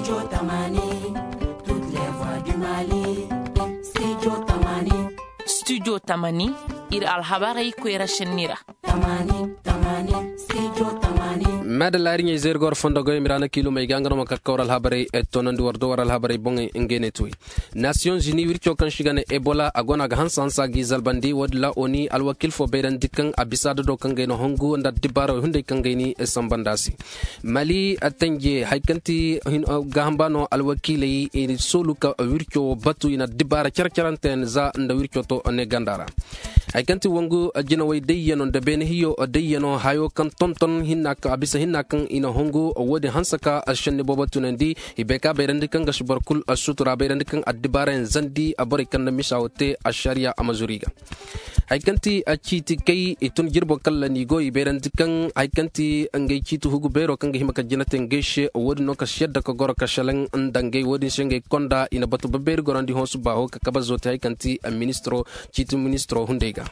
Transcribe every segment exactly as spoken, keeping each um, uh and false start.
Studio tamani, studio tamani, studio tamani, ir alhabarey koyra šenni ra. Mada laari ɲey zayri ga war fondo goy miraana kiilumey ga nga no ma kakka war alhabarey tonandi war do war alhabarey boŋey ngey ne tuwey. Nasiyoŋ zini wirco kaŋ si ga ne ebola a go no a ga hanse hanse a g'i zalbandi wo- din ra oni alwakiil fo bayrandi kaŋ a bisa adado kaŋ gay na hongu nda addibaara wey hunday kaŋ gay ni samba nd'a se. Mali tanje hari kaŋ ti gaaham ba no alwakiiley i soolu ka wirco wo batu i na addibaara care caranteyaŋ za nda wirco to ne ganda ra. Hari kaŋ ti wangu jinawey dayyano nda beene hiyo dayyano hayo kaŋ tonton a bisa hinna kaŋ i na hongu wo- din hanse ka šenni boobo tunandi. I bay ka bayrandi kaŋ ga si boro kul sutura bayrandi kaŋ addibaarayaŋ zandi borey kaŋ na misa wo te ašariya a ma zuru i ga. Hari kaŋ ti ciiti kay i tun jirbo kalla n'i go i bayrandi kaŋ hari kaŋ ti ngey ciiti hugu beero kaŋ ga hima ka jina te ngey se wo- din no ka si yadda ka goro ka šelaŋ nda ngey wo- din se ngey konda i na batu babeeri gorandi hõ suba ho ka kabe zoote hari kaŋ ti ministiro ciiti ministiro hunday ga.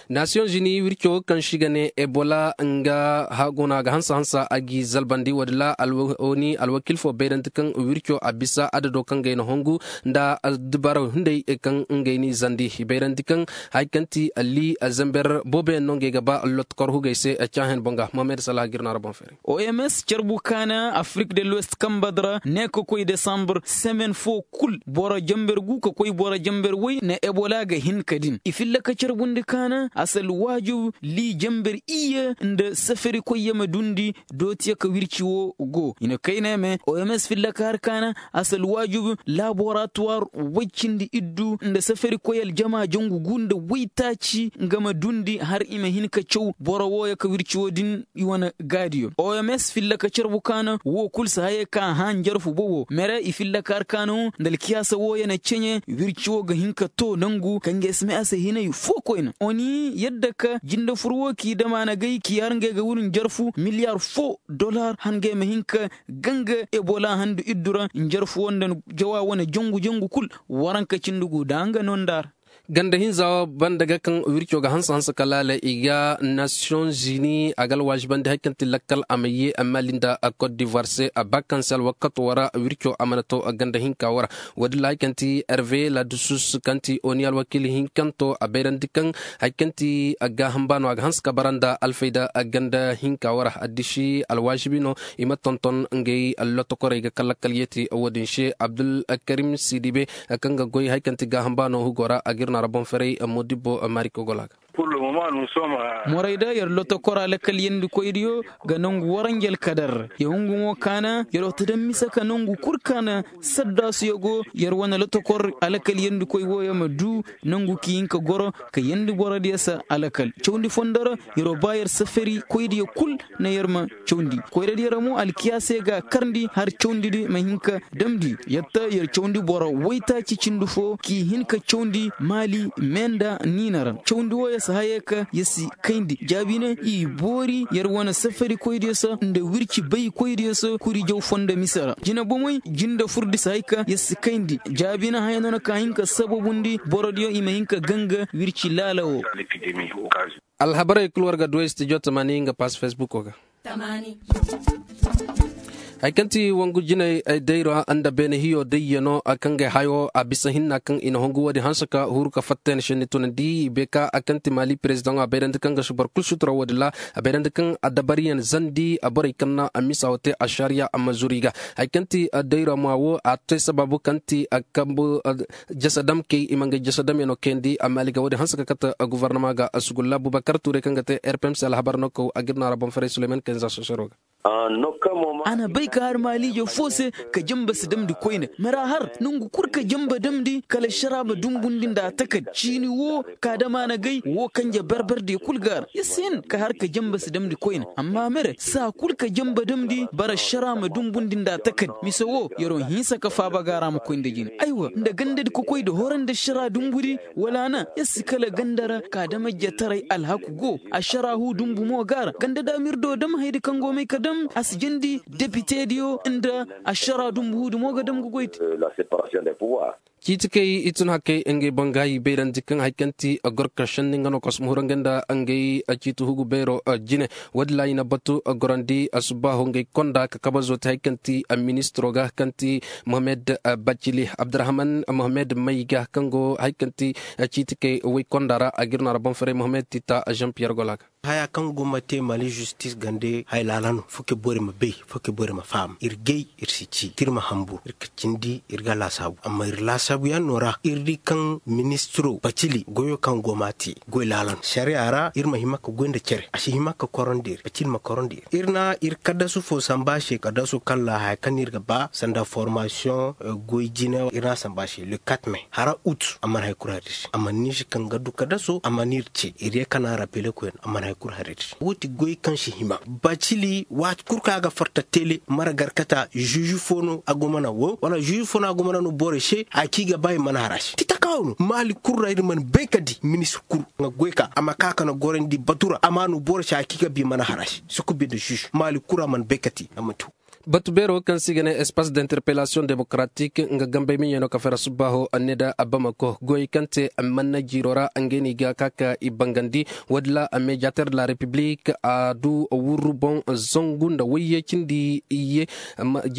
Nasiyoŋ zini wirco kaŋ si ga ne ebola nga haguna ga hansa hansa a g'i zalbandi wo- din ra. Oni alwakiil fo bayrandi kaŋ wirco a bisa adado kaŋ gay na hongu nda addibaaraw hunday kaŋ ngey n'i zandi i bayrandi kaŋ hari kaŋ ti alli zamber booboyaŋ no ngey ga ba lotokor hugey se. Caahen boŋ ga mohamed salaha ga ir no a ra boŋ feeray. Oms carbu kaana afrik de l'ouest kambad ra ne ka koy desambur semen fo kul boro jamber gu ka koy boro jamber woy na ebola ga hin ka din i filla ka carbundi kaana asal waajib li jamber iyye nda safari koy ya ma dundi. Dootiya ka wirci wo go i na kayna ya me oms filla ka har kaana asal waajib laboratuwar woy cindi iddu nda safari koy aljama jangu gu nda woy taaci nga ma dundi har i ma hin ka caw boro wooyo ka wirci wo din i wane gaadiyo oms filla ka carbu kaana wo kul si hayey ka a hã njarfu bobo mere i filla ka har kaana wo nda alkiyaasa wooyo na ceɲe wirci wo ga hin ka to nangu ka nga ya si may a se hinay fo koyna oni yadda ka jinde fur wo k'i dama na gay k'i har ngey ga wuri njarfu miliyar fo dolar har ngey ma hin ka ganga ebola handu iddu ra njarfu wo nda jawa wane jangu jangu kul waranka cindi gu da nga no nda ra. Ganda hinza banda ga kaŋ wirco ga hanse hanse ka laala i ga nasiyoŋ zini a ga alwaazibandi hari kaŋ ti lakkal a ma ye a maali nda kot divoir se a ba kaŋ se alwakato wo ra wirco a mana to ganda hinka wo ra. Wo- din ra hari kaŋ ti herve ladusus kaŋ ti oni alwakiil hinkanto a bayrandi kaŋ hari kaŋ ti gaaham ba no a ga hanse ka bara nda alfayda ganda hinka wo ra addisi alwaazibi no. I ma tonton ngey lotokorey ga kala kala yeeti wo- din se abdulkarim sidibe kaŋ ga goy hari kaŋ ti gaaham ba no hugo ra a ga ir no a ra boŋ feray modibbo maari kogola ga. Morey da yer lotokor alakal yandikoydiyo ga nangu waranjel kadar ya hungu mo kaana yer oto daŋ mise ka nangu kul kaana saddasuyo go yer wane lotokor alakal yandikoy wooyo ma du nangu ki hin ka goro ka yandi borodiyo se alakal cawndi fondo ra yer o ba yer safari koydiyo kul na yer ma cawndi koyradiyo ra mo alkiyaase ga karndi har cawndidi ma hin ka damndi yatta yer cawndi boro waytaaci cindi fo k'i hin ka cawndi maali meenda niina ra cawndi wooyo si hayey ka yer si kayndi jaabine i boori yer wane safari koydiyo se nda wirci bay koydiyo se kuri jaw fondo mise ra jine bomey jinde furdi si hay ka yer si kayndi jaabine haya no na ka hin ka sababundi borodiyo i ma hin ka ganga wirci laala wo. Alhabarey kul war ga du ay stijo tamani nga pass facebook ga. Hari kaŋ ti wangu jinay dayra nda beene hiyo dayyano kaŋ ga ay hayo a bisa hinna kaŋ i na hongu wo- din hanse ka huru ka fatta yaŋ senni tunandi i bay ka a kaŋ ti maali perezidaŋo a bayrandi kaŋ ga si boro kul sutura wo- din ra a bayrandi kaŋ a dabariyaŋ zandi borey kaŋ na a misa wo te ašariya a ma zuru i ga. Hari kaŋ ti dayra ma wo a te sabaabu kaŋ ti kambu jasadamkey i ma ngey jasadamyaŋo kayandi a maali ga wo- din hanse ka kate gofornama ga sugulla bubakar tuurey kaŋ ga te rpmc alhabar no kaw a ga ir no a ra boŋ feray suleyman kayna za sosoro ga. A na bay ka har maaliijo fo se ka jamba si damndi koyne mara har nangu kul ka jamba damndi kala ašara ma dumbundi nda a takad ciini wo ka dama na gay wo kanje barbardiyo kul ga har ya si hin ka har ka jamba si damndi koyne amma mere saa kul ka jamba damndi bara ašara ma dumbundi nda a takad mise wo yer wo hinsa ka faaba ga ra ma koy nda jine aywa nda gandadi ka koy nda horo nda ašara dumbudi wala na ya si kala ganda ra ka dama jataray alhaku go ašara hu dumbu mo ga ra ganda da mirdo dam hayadi kaŋ go may ka dam a si jandi depitediyo nda ašara dumbu huudi mo ga dam ga goy te. Ciiti kay i tun hakay ngey boŋ ga i bayrandi kaŋ hari kaŋ ti gorka senni nga no kosmo hurangay nda ngey ciiti hugu beero jine. Woodin ra i na batu gorandi subbaaho ngey konda ka kabazo te hari kaŋ ti ministiro ga kaŋ ti mohamed bacili abdurahman mohamed may ga kaŋ go hari kaŋ ti ciiti kay woy konda ra a ga ir no a ra boŋ faray mohamed tita jean pierre gola ga. Haya kaŋ go ma te mali zistis gande haya laala no fo ke bore ma bay fo ke bore ma faham ir gay ir si ci da ir ma hambur ir ka cindi ir ga laasaabu amma ir laasaabu yaŋ no ra ir di kaŋ ministiro bacili goyo kaŋ go ma te goy laala no sariya ra ir ma hima ka goy nda cere a si hima ka korondi ir bacili ma korondi ir ir na ir kaddasu fo samba se kaddasu kaŋ ra haya kaŋ no ir ga ba sanda formasiyoŋ goy jine ir na samba se le kat me hara ut a mana hay kulu hari ir se a mana ni se kaŋ ga du kaddaso a mana ir ce ir ye kana rapele koyne a mana hay kulu hari ir se wo ti goy kaŋ si hima bacili waati kulu kaŋ a ga farta tele mara garkata zuzu fo no a go mana wo wala zuzu fo no a go mana no borey se a ci ga ba i mana hara se ti takawo no maali kulu ra ir mana bay ka di ministir kulu nga goy ka a ma ka kana gorandi batu ra a ma no borey se a ci ga ba i mana hara se sukubi nda zuzu maali kulu ra mana bay ka te a ma te wo. Batu beero kaŋ se i ga ne espace d'interpellation démocratique nga gambey miɲey no ka fera subbaaho a ne nda abamako goyey kaŋ te manna jiiro ra ngey no i ga ka ka i bangandi. Woodin ra a mediateur de la république a du wurru boŋ zangu nda wayye cindi iyye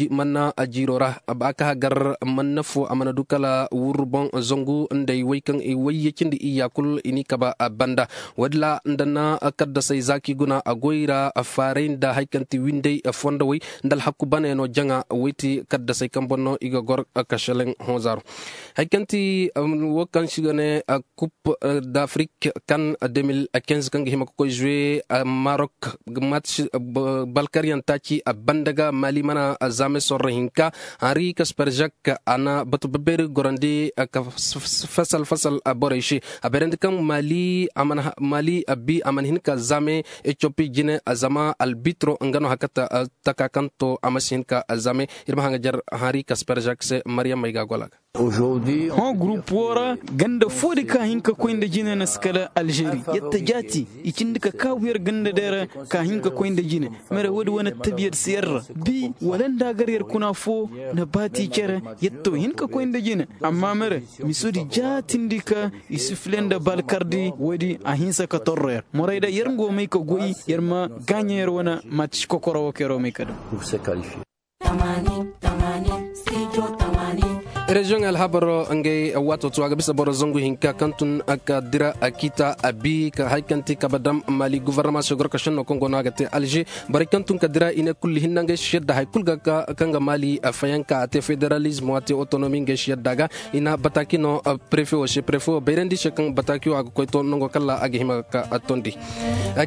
manna jiiro ra a ka hagar manna fo a mana du kala wurru boŋ zangu nda i way kaŋ i wayye cindi iyya kulu i n'i kaba banda. Woodin ra nda na kaddasey zaaki guna a goy ra faaray nda hari kaŋ ti windey fondowey nda alhaku baney no jaŋa wey ti kaddasey kaŋ boŋ no i ga gor. Kaseleŋ honzaaro hari kaŋ ti wo kaŋ se i ga ne kup d'afrik kan de mil kinze kaŋ ga hima ga koy zuwe marok match balkaryaŋ taaci a banda ga mali mana zaame sorro hinka henri kasperjak a na batu babeeri gorandi ka fasal fasal borey se a bayrandi kaŋ mali a mana bi a mana hin ka zaame etiyopi jine zama albitro nga no hakata taka kaŋ to a ma si hin ka zaame ir ma haŋajar henri kasperjak se maryam may ga a gola ga. Hõ gurup woo ra ganda foo di ka hin ka koy nda jine na si kala alžeri yadda jaati i cindi ka kaabu yer ganda day ra ka hin ka koy nda jine mere woodi wane tabiya di si yer ra bi wala nda a gar yer kuna foo na baati cere yadda to hin ka koy nda jine amma mere miso di jaatindi ka i si file nda balkardi woodi a hinsa ka torro yer morayda yer ngo may ka goy yer ma gaaɲa yer wane maati si kokoro woo ka yer wo may ka daŋ. Reziyoŋ alhabaro ngey waato to a ga bisa boro zangu hinka kaŋ tun ka dira a kiita a bi ka hari kaŋ ti kaba dam mali guvarnama se gorka senno kaŋ go no a ga te alže borey kaŋ tun ka dira i ne kulu hinna ngey si yadda hari kulu ga ka kaŋ ga mali fayanka a te federalizmo a te otonomi ngey si yadda ga i na bataki no prefe wo se prefe wo bayrandi se kaŋ bataki wo a ga koy to nango kala a ga hima ka tondi.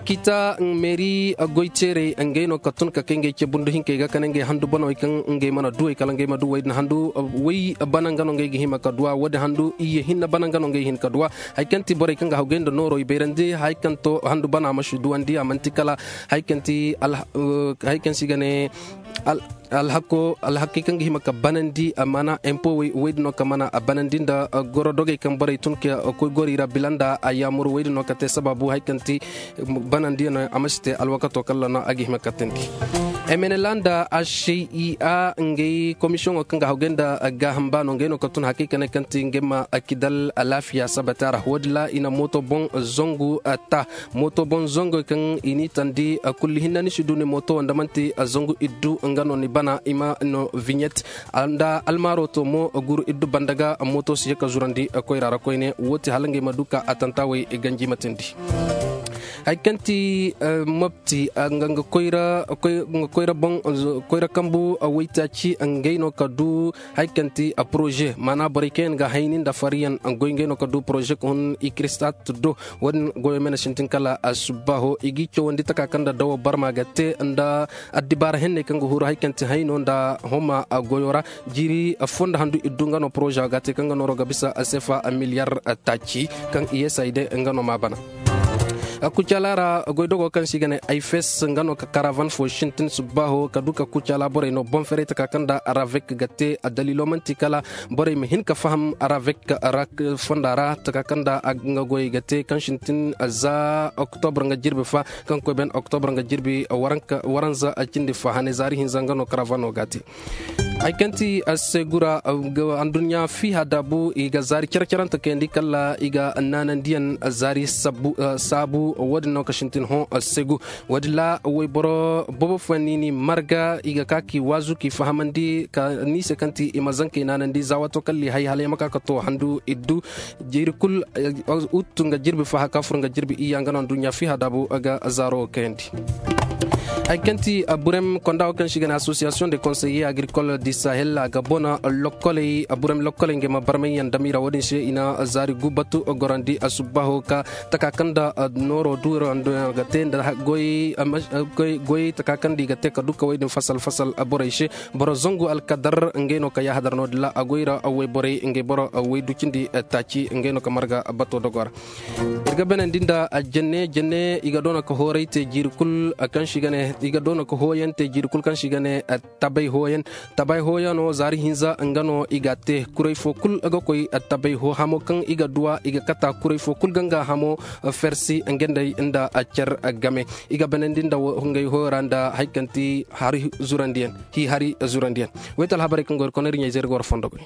Kiita meeri goyteerey ngey no ka tun ka kay ngey ce bundu hinkey ga kane ngey handu banawey kaŋ ngey mana duwey kala ngey ma duwey din handu way bana nga no ngey ga hima ka duwa woodin handu iyye hinne bana nga no ngey hin ka duwa. Hari kaŋ ti borey kaŋ ga hawgay nda nooro i bayrandi hari kaŋ to handu bana ma si duwandi a manti kala hari kaŋ ti hari kaŋ se i ga ne alhakey kaŋ ga hima ka banandi a mana empo wey din no ka mana a banandi nda goro dogey kaŋ borey tun ka koy goro i ra bila nda a yaamuru wey din no ka te sabaabu hari kaŋ ti banandi no a ma si te alwakato kala no a ga hima ka tindi. Emenela nda asia ngey komisiyoŋo kaŋ ga hawgay nda gaaham ba no ngey no ka tun hakay ka ne kaŋ ti ngey ma kidal alaafiya sabata ra woodin ra i na mooto boŋ zangu ta mooto boŋ zangu kaŋ i n'i tandi kulli hinne ni si du ni mooto wo nda manti zangu iddu nga no ni bana i ma no viɲet nda almaaro to mo guru iddu banda ga mooto si ye ka zurandi koyra ra koyne wo ti hala ngey ma du ka atanta wey ganji ma tindi. Hari kaŋ ti mopti nga koyra boŋ koyra kambu waytaaci ngey no ka du hari kaŋ ti poroze maana borey kaŋ yaŋ ga hayni nda fariyaŋ goy ngey no ka du poroze ka hun ikristat do. Wo-din goyo me na sintin kala subbaaho i g'i cawandi taka kaŋ nda dawo barma ga te nda addibaara henney kaŋ ga huru hari kaŋ ti hayno nda homa goyo ra. Jiiri fonda handu iddu nga no poroza ga te kaŋ ga nooro ga bisa sefa miliyar taaci kaŋ i ye sayde nga no ma bana. Kucala ra goydogo kaŋ se i ga ne ayfes nga no ka karavan fo sintin subbaaho ka du ka kucala borey no boŋ ferey taka kaŋ nda ravek ga te. Daliilo manti kala borey ma hin ka faham ravek fonda ra taka kaŋ nda nga goyey ga te kaŋ sintin za oktobr nga jirbi fa kaŋ koy ben oktobr nga jirbi waranza cindi fa hane zaari hinza nga no karavano ga te. Hay kaŋ ti assegu ra, adduɲɲa fiiha daabu i ga zaari care-carante kayandi kala i ga naanandiyaŋ zaari saabu. Wo- din no ka sintin hõ assegu. Wo- din ra wayboro boobo fo ni ni marga i ga ka k'i waazu k'i fahamandi ka ni se kaŋ ti i ma zankey naanandi za waato kala i hay hala i ma ka ka to handu iddu. Jiiri kul, ut nga jirbi faha ka fur nga jirbi iyya nga no adduɲɲa fiiha daabu ga zaaro kayandi. Hay kaŋ ti burem konda wo kaŋ se i ga ne association de conseiller agricole du sahel a ga bona lokkoley burem lokkoley ngey ma barmay yaŋ dam i ra wo- din se i na zaari gu batu gorandi subbaaho ka taka kaŋ nda nooro duura ga te nda goyey taka kaŋ nda i ga te ka dukka wey din fasal fasal borey se. Boro zangu alkadar ngey no ka yaahadar no- din ra a goy ra wayborey ngey boro waydu cindi taaci ngey no ka marga bato dogo ra. Ir ga benandi nda jenne jenne i ga doona ka hooray te jiiri kul kaŋ se i ga ne i ga doona ka hooyaŋ te jiiri kul kaŋ se i ga ne tabay hooyaŋ. Tabay hooyaŋo zaari hinza nga no i ga a te kuray fo kul ga koy tabay hoo hamo kaŋ i ga duwa i ga kata kuray fo kul ga nga hamo fersi nga nd'ey nda cer game. I ga benandi nda ngey hooyo ra nda hari zurandiyaŋ. Hi hari zurandiyaŋ. Wayta alhabarey kaŋ go ir konay ir ɲayzey ir ga war fondo goy.